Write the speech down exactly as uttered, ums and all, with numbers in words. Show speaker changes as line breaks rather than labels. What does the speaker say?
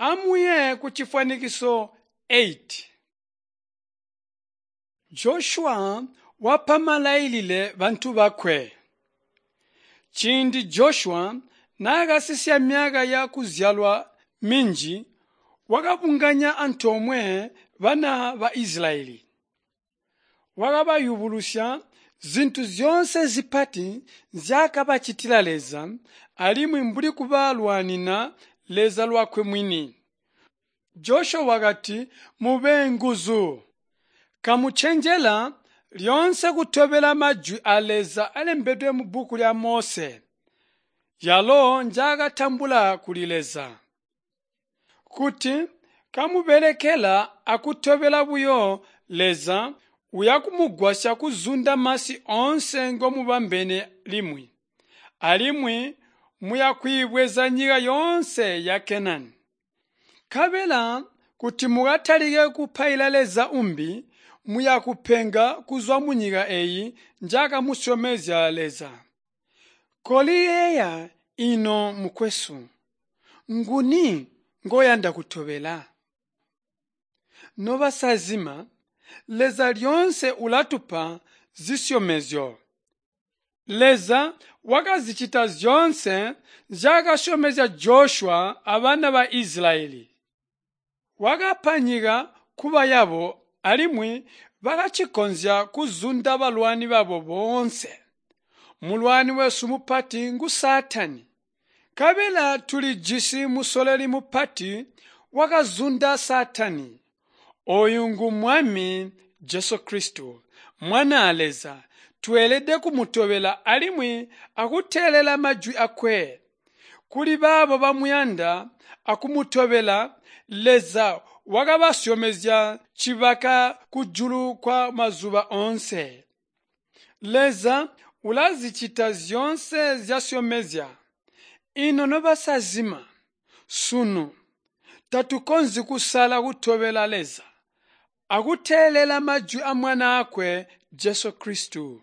Amuye kucifwanikiso eight. Joshua wapa malailile bantu bakwe. Ciindi Joshua naakasisya myaka yakuzyalwa minji, wakabunganya antoomwe bana ba Isilayeli. Wakabayubulusya zintu zyoonse zipati nzyaakabacitila Leza alimwi mbuli kubalwanina Leza lwakwe mwini. Joshua wakati, “Mube nguzu! Kamucenjela lyoonse kutobela majwi aa Leza alembedwe mubbuku lya Mose, yalo njaakatambula kuli Leza. Kuti kamubelekela akutobela buyo Leza, uyakumugwasya kuzunda masi oonse ngomubambene limwi, alimwi muyakwiibweza nyika yoonse ya Kenani. Nkabela kuti mukatalike kupaila leza umbi, muyakupenga kuzwa munyika eeyi njaakamusyomezya Leza. Koliyeeya ino mukwesu, nguni ngoyanda kutobela? Nobasazima, Leza lyoonse ulatupa zisyomezyo. Leza wakazicita zyoonse nzyaakasyomezya Joshua abana ba Isilayeli. Wakapa nyika kuba yabo alimwi bakacikonzya kuzunda balwani babo boonse. Mulwani wesu mupati ngu Saatani. Nkabela tulijisi musololi mupati wakazunda Saatani. Ooyu ngu Mwami Jesu Kristo, Mwanaa Leza. Tweelede kumutobela alimwi akuteelela majwi aakwe. Kuli baabo bamuyanda akumutobela, Leza wakabasyomezya cibaka kujulu kwa mazuba oonse. Leza ulazicita zyoonse nzyasyomezya. Ino nobasazima, sunu tatukonzyi kusala kutobela Leza akuteelela majwi a Mwanaakwe Jesu Kristo.